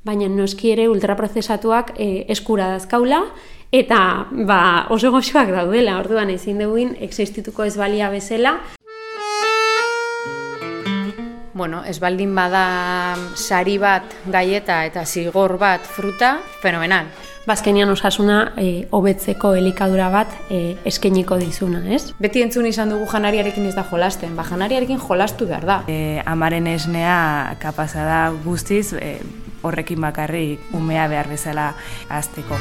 baina noski ere ultraprozesatuak eskura dazkaula, eta oso goxoak daudela, orduan ezin duguin existituko ez balia bezala. Bueno, ez baldin bada sari bat gaieta eta zigor bat fruta, fenomenal. Bazkenian osasuna hobetzeko elikadura bat eskainiko dizuna, ez? Beti entzun izan dugu janariarekin ez da jolasten, janariarekin jolastu behar da. Amaren esnea kapaza da guztiz horrekin bakarrik umea behar bezala hazteko.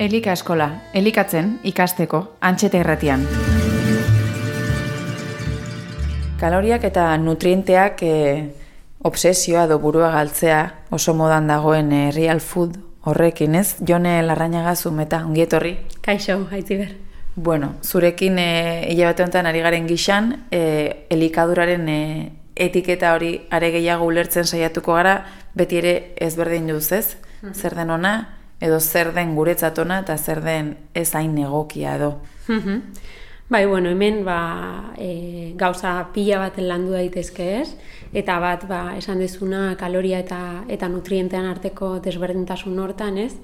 Elika eskola, elikatzen ikasteko, Antxeta Irratian. Kaloriak eta nutrienteak obsesioa edo burua galtzea oso modan dagoen real food horrekin, ez? Jone Larrañaga Zumeta, ongi etorri. Kaixo, Aitziber. Bueno, zurekin hilabete honetan ari garen gixan, elikaduraren etiketa hori are gehiago ulertzen saiatuko gara, beti ere ezberdin duz, ez? Zer den ona, edo zer den guretzat ona, eta zer den ez hain egokia edo. Bai, bueno, hemen gauza pila bat landu daitezke, ez? Eta bat, esan dezuna kaloria eta nutrientean arteko desberdintasun hortan, ez?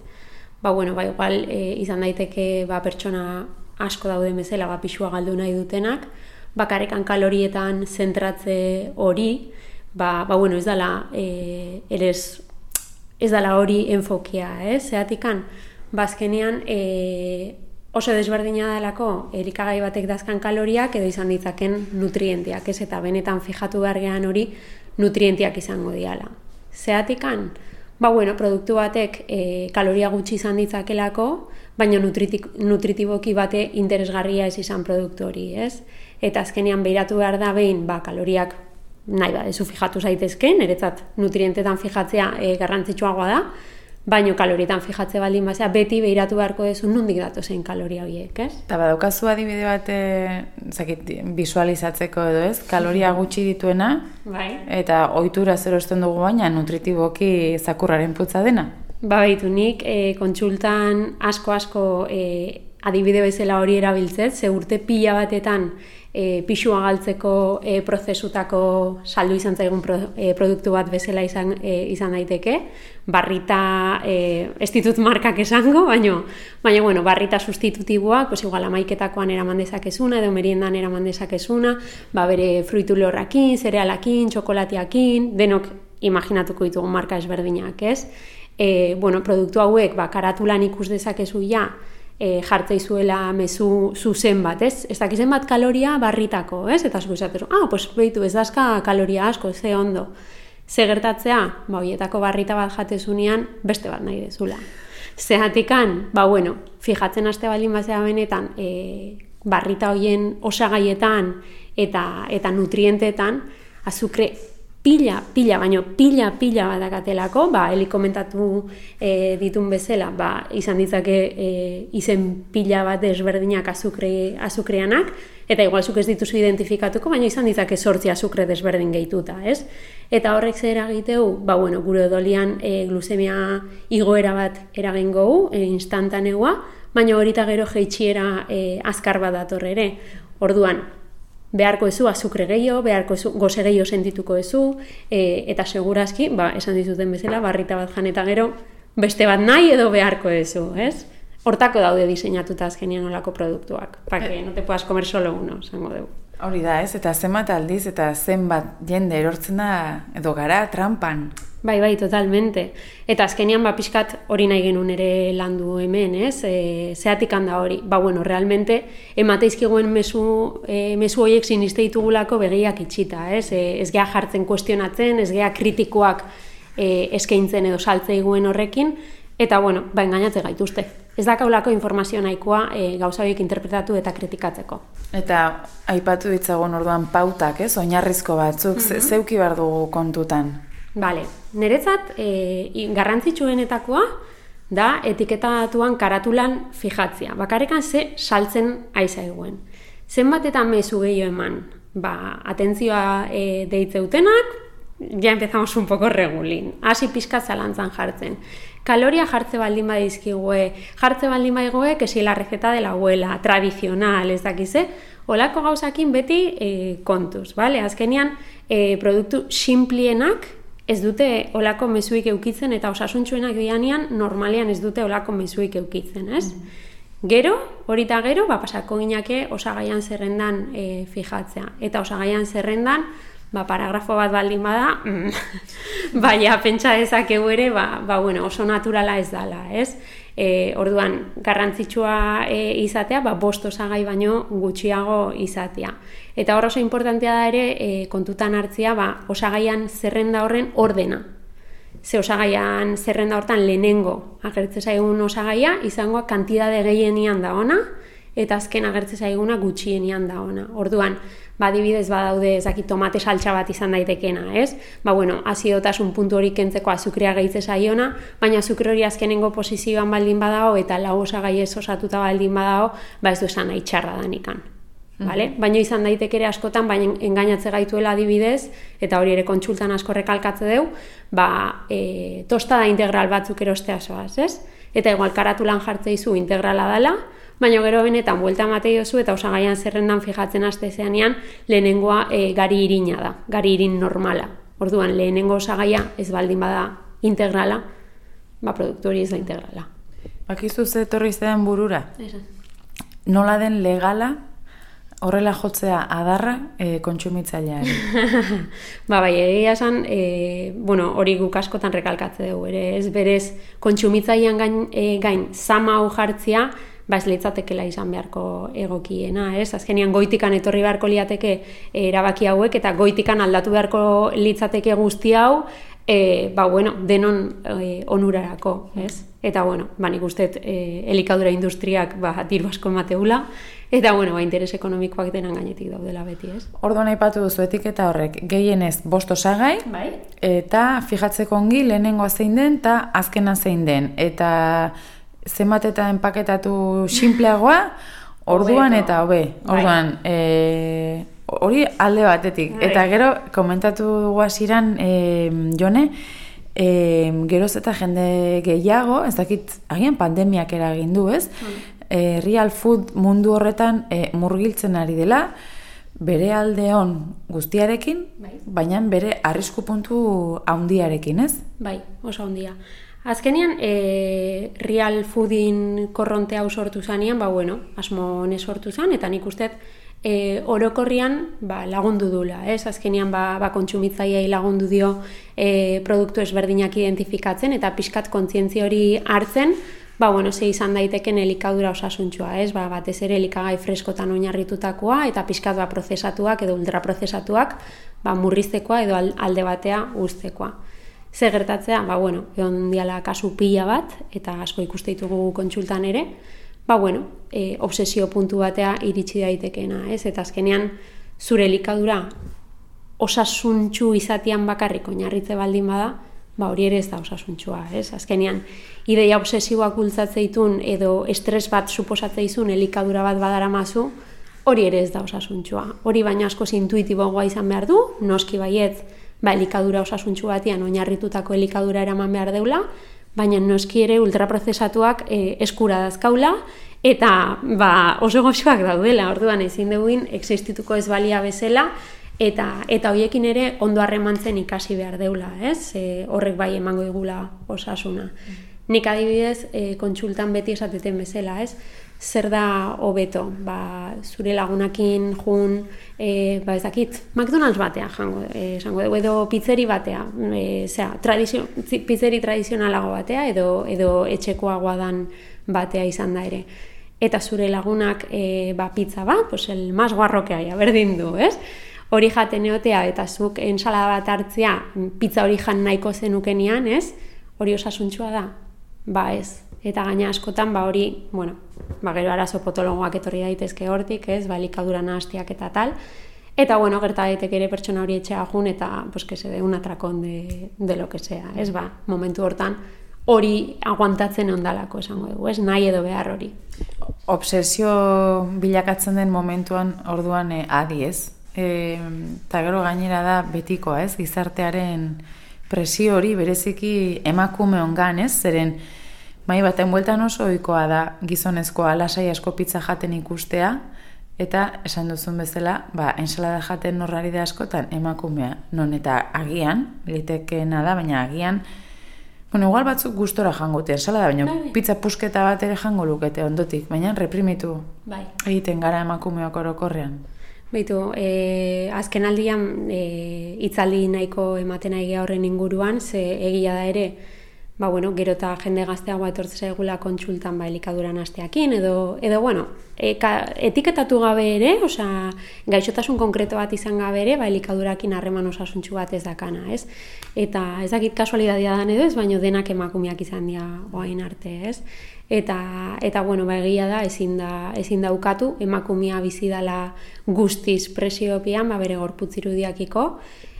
Igual izan daiteke pertsona asko dauden bezala, pixua galdu nahi dutenak, bakarrekan kalorietan zentratze hori, ez dela ez dela hori enfokia, ez? Zeatikan, bazkenean oso desberdina delako elikagai batek dazkan kaloriak edo izan ditzaken nutrienteak, ez? Eta benetan fijatu behar gehan hori nutrienteak izango diala. Zeatikan, produktu batek kaloria gutxi izan ditzakelako, baina nutritiboki bate interesgarria ez izan produktu hori, ez? Eta azkenean behiratu behar da behin, kaloriak nahi badezu fijatu zaitezken, niretzat nutrientetan fijatzea garrantzitsuagoa da, baino kalorietan fijatze baldin bazea, beti behiratu beharko duzu nondik datozen kaloria horiek, ez? Eta badaukazu adibide bat visualizatzeko edo, ez? Kaloria gutxi dituena, eta ohitura erosten dugu baina nutritiboki zakurraren putza dena. Baitu nik kontsultan asko adibide bezala hori erabiltzet, ze urte pila batetan pixua galtzeko prozesutako saldu izan zaigun produktu bat bezala izan daiteke. Barrita, ez ditut markak esango, baina barrita sustitutiboak, igual amaiketakoan eraman dezakezuna, edo meriendan eraman dezakezuna, bere fruitu lehorrakin, zerealakin, txokolatiakin, denok imaginatuko ditugu marka ezberdinak, ez? Produktu hauek, karatulan ikus dezakezu ja, jartzeizuela mezu zuzen bat, ez? Ez dakizen bat kaloria barritako, ez? Eta zuko esatezu, behitu, ez dazka kaloria asko, ze ondo. Ze gertatzea, horietako barrita bat jatezunean, beste bat nahi dezula. Zehatikan, fijatzen haste baldin bazea benetan, barrita horien osagaietan eta nutrienteetan, azukre pila bat dakatelako, heli komentatu ditun bezala, izan ditzake izen pila bat desberdinak azukreanak, eta igual zuk ez dituzu identifikatuko, baina izan ditzake 8 azukre desberdin gehituta, ez? Eta horrek zer eragiteu, gure odolian glusemia igoera bat eragingo instantaneoa, baina horita gero jeitxiera azkar bat dator ere. Orduan, beharko ezu azukre gehiago, beharko ezu goze gehiago sentituko ezu, eta segurazki, esan dizuten bezala, barrita bat jan eta gero, beste bat nahi edo beharko ezu, ez? Hortako daude diseinatuta azkenean olako produktuak, que no te puedas comer solo uno, esango dugu. Hori da, ez? Eta zenbat aldiz eta zenbat jende erortzen da edo gara trampan. Bai, totalmente. Eta azkenean pixkat hori nahi genuen ere landu hemen, ez? Zeatik handa hori. Realmente, emateizkiguen mezu horiek siniste ditugulako begiak itxita, ez? Ez gea jartzen kuestionatzen, ez gea kritikoak eskaintzen edo saltzeiguen horrekin, eta engainatze gaituzte. Ez dakaulako informazio nahikoa gauza horiek interpretatu eta kritikatzeko. Eta aipatu ditzagun orduan pautak, ez? Oinarrizko batzuk, zeuki behar dugu kontutan. Bale, niretzat garrantzitsuenetakoa da etiketatuan karatulan fijatzea. Bakarrekan ze saltzen aizaiguen. Zenbat eta mezu gehiago eman, atentzioa deitzeutenak, ya empezamos un poco regulin. Hasi pixka zalantzan jartzen. Kaloria jartze baldin badizkigue, que si la receta de la abuela, tradicional, ez dakize, olako gauzakin beti kontuz, bale? Azkenean, produktu simplienak ez dute olako mezuik eukitzen, eta osasuntsuenak dianean normalean ez dute olako mezuik eukitzen, ez? Gero, horita gero, pasako ginake osagaian zerrendan fijatzea. Eta osagaian zerrendan, paragrafo bat baldin bada, baina pentsa dezakegu ere, bueno, oso naturala ez dala, ez? Orduan, garrantzitsua izatea, 5 osagai baino gutxiago izatea. Eta hor oso importantea da ere, kontutan hartzia, osagaian zerrenda horren ordena. Ze osagaian zerrenda hortan lehenengo agertzen zaigun osagaia, izangoa kantidade gehienian da ona, eta azken agertzen zaiguna gutxienian da ona. Orduan, adibidez badaude tomate saltsa bat izan daitekena, ez? Bueno, azidotasun puntu hori kentzeko azukrea gehitze zaiona, baina azukre hori azkenengo posizioan baldin badago eta 4 osagai ez osatuta baldin badago, ez du esan nahi txarra danikan. Baina izan daiteke ere askotan, baina engainatze gaituela adibidez, eta hori ere kontsultan asko rekalkatze deu, tostada integral batzuk erostea zoaz, ez? Eta igual karatulan jartze izu integrala dela, baina gero benetan buelta ematei dozu eta osagaian zerrendan fijatzen haste zeanean lehenengoa gari irina da, gari irin normala. Orduan lehenengo osagaia ez baldin bada integrala, produktu hori ez da integrala. Bakizu ze etorri zean burura? Esan. Nola den legala horrela jotzea adarra kontsumitzaileari? Bai, egia esan, hori guk askotan rekalkatze dugu, ez berez kontsumitzailean gain zama hau jartzia, ez litzatekela izan beharko egokiena, ez? Azkenean goitikan etorri beharko liateke erabaki hauek, eta goitikan aldatu beharko litzateke guzti hau, denon onurarako, ez? Eta, nik usteet elikadura industriak diru asko emateula, eta, interes ekonomikoak denan gainetik daudela beti, ez? Orduan aipatu duzu etiketa horrek, gehienez 5 osagai, eta fijatzeko ongi lehenengoa zein den, eta azkena zein den, eta zenbat eta enpaketatu sinpleagoa, orduan eta hobe. Orduan, hori alde batetik. Eta gero, komentatu dugu hasieran, Jone, geroz eta jende gehiago, ez dakit, agian pandemiak eragin du, ez? Real food mundu horretan murgiltzen ari dela, bere alde on guztiarekin, baina bere arrisku puntu handiarekin, ez? Bai, oso handia. Azkenean, real foodin korronte hau sortu zanean, asmo honez sortu zan, eta nik usteet orokorrian lagundu dula, ez? Azkenean, kontsumitzaileei lagundu dio produktu ezberdinak identifikatzen, eta pixkat kontzientzia hori hartzen, ze izan daiteken elikadura osasuntsua, ez? Batez ere elikagai freskotan oinarritutakoa, eta pixkat prozesatuak edo ultraprozesatuak murriztekoa edo alde batea uztekoa. Ze gertatzea, egon diala kasu pila bat, eta asko ikuste ditugu kontsultan ere, obsesio puntu batea iritsi daitekeena, ez? Eta azkenean, zure elikadura osasuntsu izatean bakarrik oinarritze baldin bada, hori ere ez da osasuntsua, ez? Azkenean, ideia obsesiboak bultzatze ditun edo estres bat suposatze izun elikadura bat badaramazu, hori ere ez da osasuntsua. Hori baina asko intuitiboagoa izan behar du, noski baietz, elikadura osasuntsu batian oinarritutako elikadura eraman behar deula, baina noski ere ultraprozesatuak eskura dazkaula, eta oso goxoak daudela, orduan ezin duguin existituko ez balia bezala, eta horiekin ere ondo harremantzen ikasi behar deula, ez? Horrek bai emango digula osasuna. Nik adibidez, kontsultan beti esateten bezala, ez? Zer da hobeto, zure lagunakin jun, ez dakit, McDonald's batea esango dugu, edo pizzeri batea, pizzeri tradizionalago batea, edo etxekoagoa dan batea izan da ere. Eta zure lagunak pizza bat, el más guarro que haya, berdin du, ez? Hori jaten eotea eta zuk ensalada bat hartzea, pizza hori jan nahiko zenukenian, ez? Hori osasuntsua da? Ez. Eta gaina askotan, hori, gero arazo potologoak etorri daitezke hortik, ez, elikadura nahastiak eta tal. Eta, gerta daiteke ere pertsona hori etxea jun, eta, que se de un atracón de lo que sea, ez, momentu hortan, hori aguantatzen ondalako esango dugu, ez, nahi edo behar hori. Obsesio bilakatzen den momentuan orduan adi, ez? Eta gero gainera da betikoa, ez, gizartearen presio hori bereziki emakume ongan, ez, zeren, baten bueltan oso ohikoa da gizonezkoa lasai asko pizza jaten ikustea, Eta esan duzun bezala, ensalada jaten norrari da askotan emakumea, non eta agian, litekeena da, baina agian, igual batzuk gustora jangute ensalada, baina pizza pusketa bat ere jango lukete ondotik, baina reprimitu egiten gara emakumeak orokorrean. Beitu, azken aldian hitzaldi nahiko ematen ari horren inguruan, ze egia da ere, gero eta jende gazteagoa etortze zaigula kontsultan elikaduran hasteakin, edo etiketatu gabe ere, gaixotasun konkreto bat izan gabe ere, elikadurakin harreman osasuntsu bat ez dakana, ez? Eta ez dakit kasualidadia dan edo ez, baina denak emakumeak izan dira oain arte, ez? Eta egia da, ezin da ukatu, emakumea bizi dela guztiz presiopean, bere gorputz irudiakiko,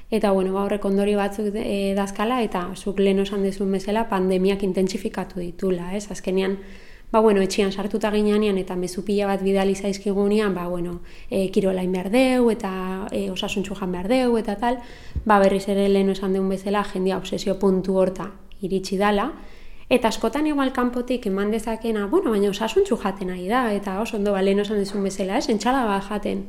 eta horrek ondori batzuk dazkala, eta zuk lehen esan dezun bezala pandemiak intentsifikatu ditula, ez? Azkenean, etxian sartuta ginean eta mezu pila bat bidali zaizkigunean, kirolain behar deu, eta osasuntxu jan behar deu, eta tal, berriz ere lehen esan deun bezala, jendia obsesio puntu horta iritsi dala, eta askotan igual kanpotik eman dezakena, baina osasuntxu jaten nahi da, eta oso ondo lehen esan dezun bezala, ez? Entxalada bat jaten.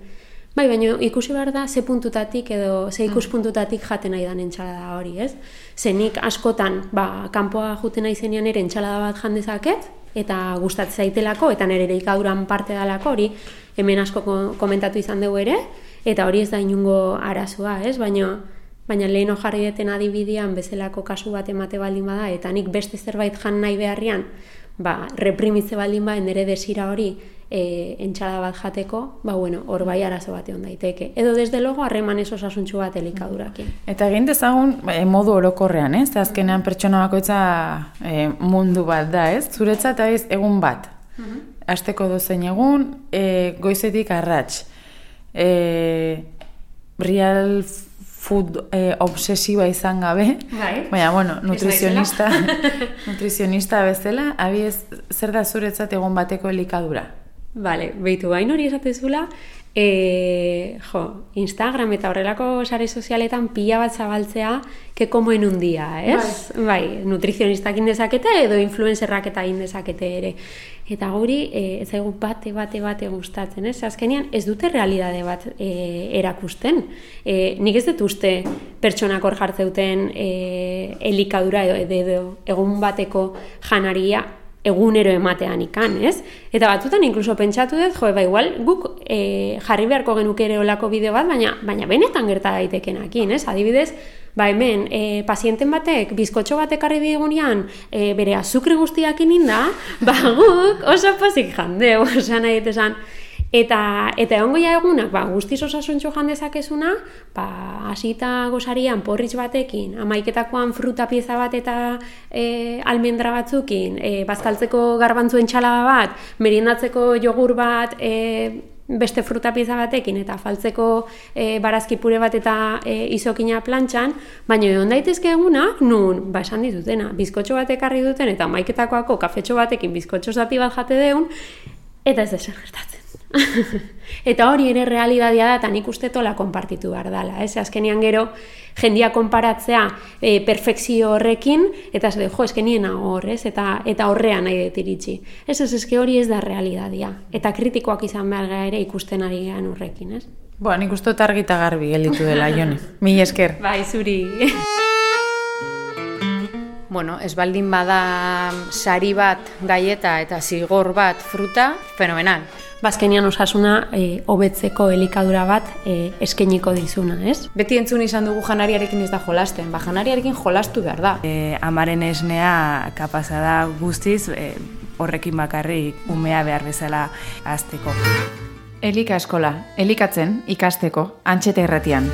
Baina ikusi behar da ze puntutatik edo ze ikuspuntutatik jaten nahi dan entxalada hori, ez? Zenik askotan, kanpoa juten nahi zenean ere entxalada bat jandezaket, eta gustatzen zaitelako, eta nire elikaduran parte dalako hori, hemen asko komentatu izan dugu ere, eta hori ez da inungo arazoa, ez? Baina lehen jarri deten adibidean bezalako kasu bat emate baldin bada, eta nik beste zerbait jan nahi beharrian, reprimitze baldin bada, nire desira hori, entxalada bat jateko, hor bai arazo bat egon daiteke. Edo desde logo harreman ez osasuntxu bat elikadurakin. Eta egin dezagun modu orokorrean, ez? Azkenean pertsona bakoitza mundu bat da, ez? Zuretzat ez egun bat. Asteko dozein egun, goizetik arrats. Real food obsesiba izan gabe, baina, nutrizionista bezala, abiez, zer da zuretzat egun bateko elikadura? Bale, behitu, bain hori esatezula, Instagram eta horrelako sare sozialetan pila bat zabaltzea que como en un día, ez? Bai, nutrizionistak indezakete edo influencerrak eta indezakete ere. Eta guri, ez zaigu bate gustatzen, ez? Azkenean ez dute realidade bat erakusten. Nik ez dut uste pertsonak hor jartzeuten elikadura edo egun bateko janaria egunero ematean ikan, ez? Eta batzutan inkluso pentsatu dut, igual guk jarri beharko genuke ere olako bideo bat, baina benetan gerta daitekenakin, ez? Adibidez, hemen, pazienten batek, bizkotxo batek arri digunean, bere azukre guztiakin inda, guk oso pozik jandeu, osan nahi esan. Eta egongo ja egunak, guztiz osasuntxo jandezakezuna, hasita gozarian porritx batekin, amaiketakoan fruta pieza bat eta almendra batzukin, bazkaltzeko garbantzu entxalada bat, meriendatzeko jogur bat, beste fruta pieza batekin, eta faltzeko barazki pure bat eta izokina plantxan, baina egon daitezke egunak, nun, esan ditutena, bizkotxo batek arri duten, eta amaiketakoako kafetxo batekin bizkotxo zati bat jate deun, eta ez deser gertatzen. Eta hori ere realidadia da, eta nik uste tola konpartitu behar dela, ez? Azkenean gero jendia konparatzea perfekzio horrekin, eta ez du, eskenien hor, ez? Eta horrean nahi dut iritsi. Ez hori ez da realidadia, eta kritikoak izan behar gara ere ikusten ari gehan horrekin, ez? Nik uste dut argi eta garbi gelditu dela, Jone. Mila esker. Bai, zuri. Ez baldin bada sari bat gaieta eta zigor bat fruta, fenomenal. Bazkenian osasuna hobetzeko elikadura bat eskainiko dizuna, ez? Beti entzun izan dugu janariarekin ez da jolasten, janariarekin jolastu behar da. Amaren esnea kapaza da guztiz horrekin bakarrik umea behar bezala hazteko. Elika eskola, elikatzen ikasteko Antxeta Irratian.